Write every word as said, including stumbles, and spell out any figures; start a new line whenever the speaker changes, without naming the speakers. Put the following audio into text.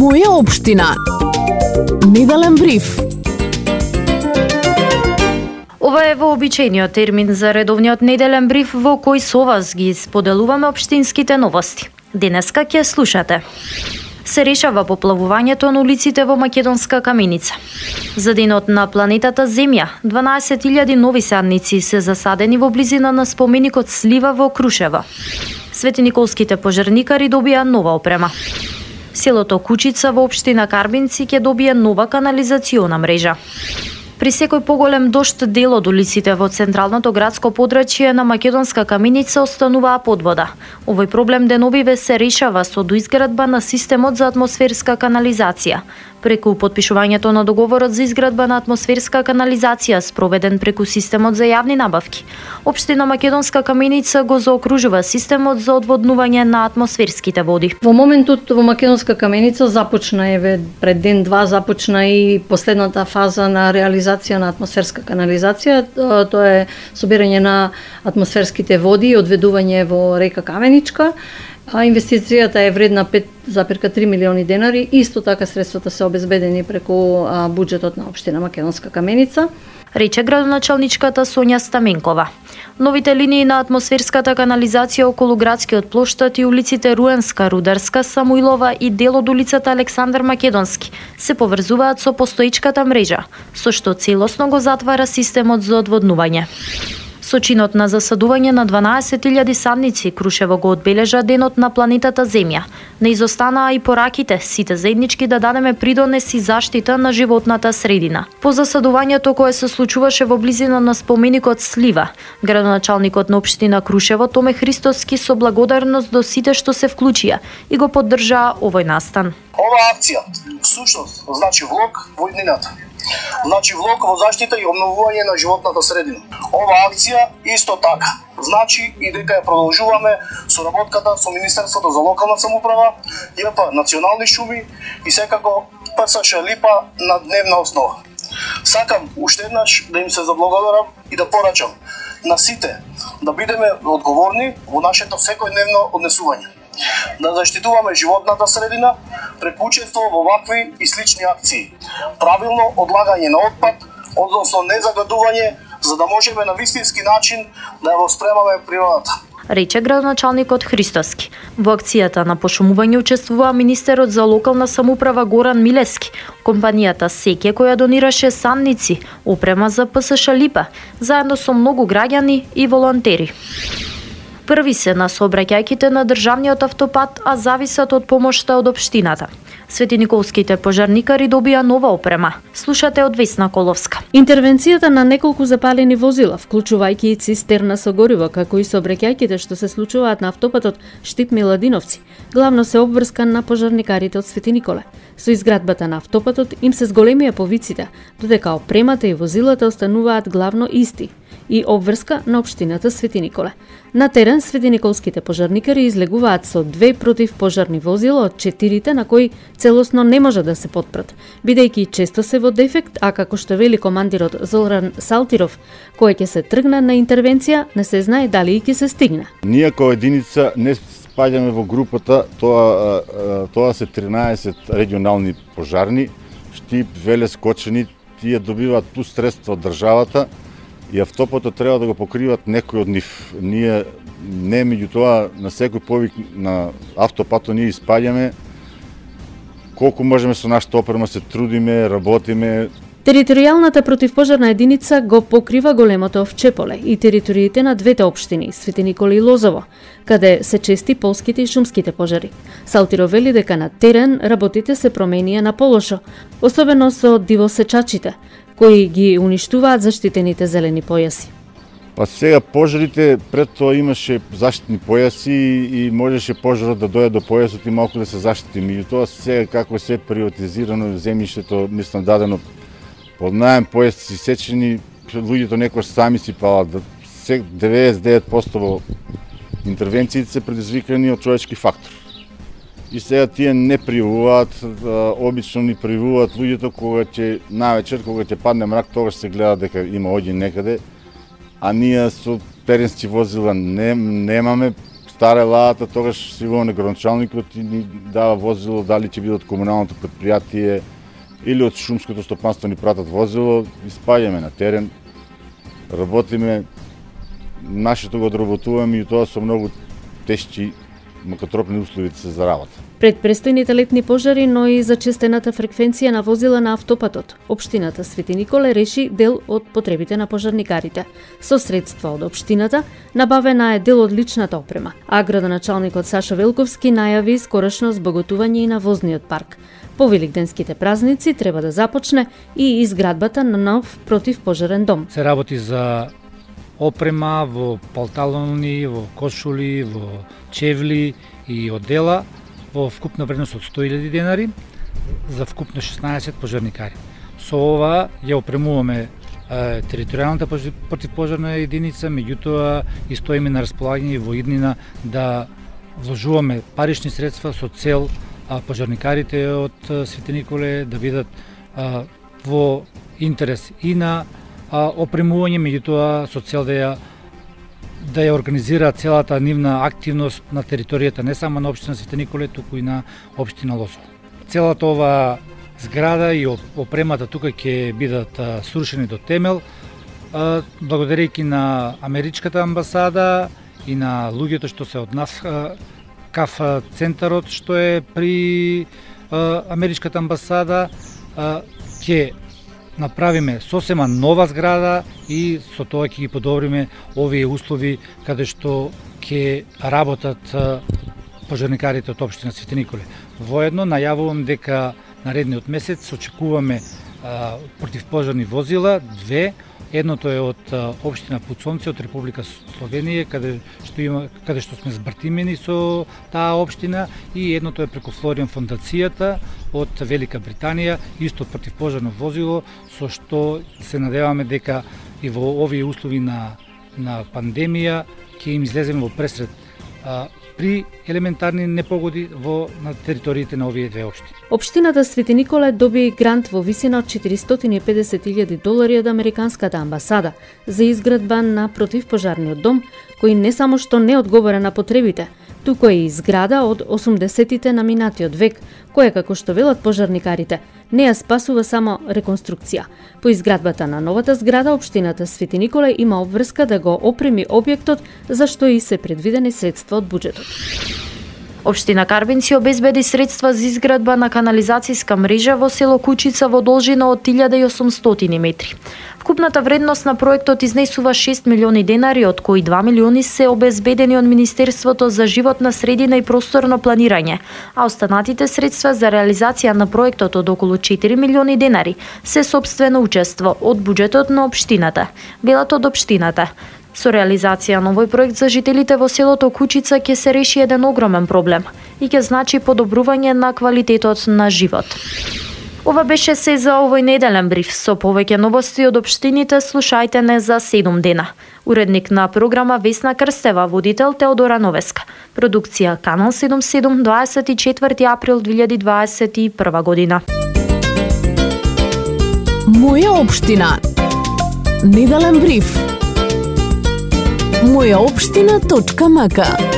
Моја општина. Неделен бриф.
Ова е вообичаениот термин за редовниот неделен бриф во кој со вас ги споделуваме општинските новости. Денеска ќе слушате. Се решава поплавувањето на улиците во Македонска Каменица. За денот на планетата Земја, дванаесет илјади нови садници се засадени во близина на споменикот Слива во Крушево. Светиниколските пожарникари добија нова опрема. Селото Кучица во општина Карбинци ќе добие нова канализациона мрежа. При секој поголем дожд дел од улиците во централното градско подрачје на Македонска Каменица остануваа под вода. Овој проблем деновиве се решава со доизградба на системот за атмосферска канализација. Преку потпишувањето на договорот за изградба на атмосферска канализација спроведен преку системот за јавни набавки, општина Македонска Каменица го заокружува системот за одводнување на атмосферските води.
Во моментот во Македонска Каменица започна еве пред ден-два започна и последната фаза на реализација на атмосферска канализација, тоа е собирање на атмосферските води и одведување во река Каменичка. А инвестицијата е вредна пет зарез три милиони денари, исто така средствата се обезбедени преку а, буџетот на општина Македонска Каменица.
Рече градоначалничката Сонја Стаменкова. Новите линии на атмосферската канализација околу градскиот плоштад и улиците Руенска, Рударска, Самуилова и дел од улицата Александар Македонски се поврзуваат со постоечката мрежа, со што целосно го затвара системот за одводнување. Со чинот на засадување на дванаесет илјади садници, Крушево го одбележа денот на планетата Земја. Не изостанаа и пораките, сите заеднички да дадеме придонес и заштита на животната средина. По засадувањето кое се случуваше во близина на споменикот Слива, градоначалникот на општина Крушево Томе Христоски со благодарност до сите што се вклучија и го поддржаа овој настан.
Ова акција всушност значи влог во иднината. Значи влог во заштита и обновување на животната средина. Ова акција исто така значи и дека ја продолжуваме соработката со Министерството за локална самоуправа, ЈП Национални шуми и секако ПСШ Липа на дневна основа. Сакам уште еднаш да им се заблагодарам и да порачам на сите да бидеме одговорни во нашето секојдневно однесување. Да заштитуваме животната средина преку учество во вакви и слични акции. Правилно одлагање на отпад, односно незагадување, за да можеме на вистински начин да ја воспремаме природата.
Рече градоначалникот Христоски. Во акцијата на пошумување учествува министерот за локална самоуправа Горан Милески, компанијата Секе која донираше садници, опрема за ПСШ Липа, заедно со многу граѓани и волонтери. Први се на сообраќајките на државниот автопат, а зависат од помошта од општината. Светиниколските пожарникари добија нова опрема. Слушате од Весна Коловска.
Интервенцијата на неколку запалени возила, вклучувајќи и цистерна со гориво, како и сообраќајките што се случуваат на автопатот Штип-Миладиновци, главно се обврскан на пожарникарите од Свети Николе. Со изградбата на автопатот им се зголемија повиците, додека опремата и возилата остануваат главно исти и обврска на општината Свети Николе. На терен светиниколските пожарникари излегуваат со две противпожарни возила од четирите на кои целосно не може да се потпрат, бидејќи често се во дефект, а како што вели командирот Зоран Салтиров, кој ќе се тргне на интервенција, не се знае дали и ќе се стигне.
Ние како единица не спаѓаме во групата, тоа тоа се тринаесет регионални пожарни, Штип, Велес, Кочени, тие добиваат плюс средства од државата и автопатот треба да го покриват некој од нив. Ние не меѓутоа на секој повик на автопатот ние испаѓаме колку можеме со нашата опрема, се трудиме, работиме.
Територијалната противпожарна единица го покрива големото Овчеполе и териториите на двете општини, Свети Николе и Лозово, каде се чести полските и шумските пожари. Салтиро вели дека на терен работите се променија на полошо, особено со дивосечачите, кои ги уништуваат заштитените зелени појаси.
Па сега пожарите, пред тоа имаше заштитни појаси и можеше пожарот да дојде до појасот и малку да се заштити. Меѓутоа сега како се приватизирано земјиштето, мислам дадено под наем, појасци сечени, луѓето некој сами си палат. деветдесет и девет проценти во интервенциите се предизвикани од човечки фактор. И сега тие не пријавуваат, обично ни пријавуваат луѓето кога ќе навечер, кога ќе падне мрак, тогаш се гледа дека има оѓен некаде, а ние со теренски возила не, немаме, стара лаата, тогаш си во неграначалникот и ни дава возило, дали ќе биде од комуналното предпријатие или од шумското стопанство ни пратат возило, испаѓаме на терен, работиме, нашето го одработуваме и тоа со многу тешки макатропни услови се за работа.
Пред престојните летни пожари, но и зачестената фреквенција на возила на автопатот, општината Свети Николе реши дел од потребите на пожарникарите. Со средства од општината набавена е дел од личната опрема, а градоначалникот Сашо Велковски најави скорошно збоготување и на возниот парк. По великденските празници треба да започне и изградбата на нов противпожарен дом.
Се работи за опрема во палталони, во кошули, во чевли и одела во вкупна вредност од сто илјади денари за вкупно шеснаесет пожарникари. Со ова ја опремуваме е, територијалната противпожарна единица, меѓутоа и стоиме на располагање во иднина да вложуваме парични средства со цел а, пожарникарите од Свети Николе да бидат а, во интерес и на а, опремување, меѓутоа со цел да ја да ја организира целата нивна активност на територијата не само на општина Свети Николе, туку и на општина Лозово. Целата ова зграда и опремата тука ќе бидат срушени до темел, благодарејќи на Америчката амбасада и на луѓето што се од нас, КАФ центарот што е при Америчката амбасада, ќе направиме сосема нова зграда и со тоа ќе ги подобриме овие услови каде што ќе работат пожарникарите од општина Свети Николе. Воедно најавувам дека наредниот месец очекуваме а, противпожарни возила, две. Едното е од општина Пуцонци од Република Словенија, каде што има каде што сме збртимени со таа општина, и едното е преку Флориан фондацијата од Велика Британија, исто противпожарно возило, со што се надеваме дека и во овие услови на на пандемија ќе им излеземе во пресред а, при елементарни непогоди во на териториите на овие две општини.
Општината Свети Николе доби грант во висина од четиристотини и педесет илјади долари од Американската амбасада за изградба на противпожарниот дом, кој не само што не одговара на потребите, туку е и зграда од осумдесетите на минатиот век, која, како што велат пожарникарите, не ја спасува само реконструкција. По изградбата на новата зграда, општината Свети Николе има обврска да го опреми објектот, за што и се предвидени средства од буџетот.
Општина Карбинци обезбеди средства за изградба на канализацијска мрежа во село Кучица во должина од илјада и осумстотини метри. Вкупната вредност на проектот изнесува шест милиони денари, од кои два милиони се обезбедени од Министерството за животна средина и просторно планирање, а останатите средства за реализација на проектот од околу четири милиони денари се сопствено учество од буџетот на општината, велат од општината. Со реализација на овој проект за жителите во селото Кучица ќе се реши еден огромен проблем и ќе значи подобрување на квалитетот на живот. Ова беше се за овој неделен бриф. Со повеќе новости од општините слушајте не за седум дена. Уредник на програма Весна Крстева, водител Теодора Новеска. Продукција Канал седумдесет и седум, дваесет и четврти април две илјади дваесет и прва година.
Моја општина. Неделен бриф. моја општина точка м к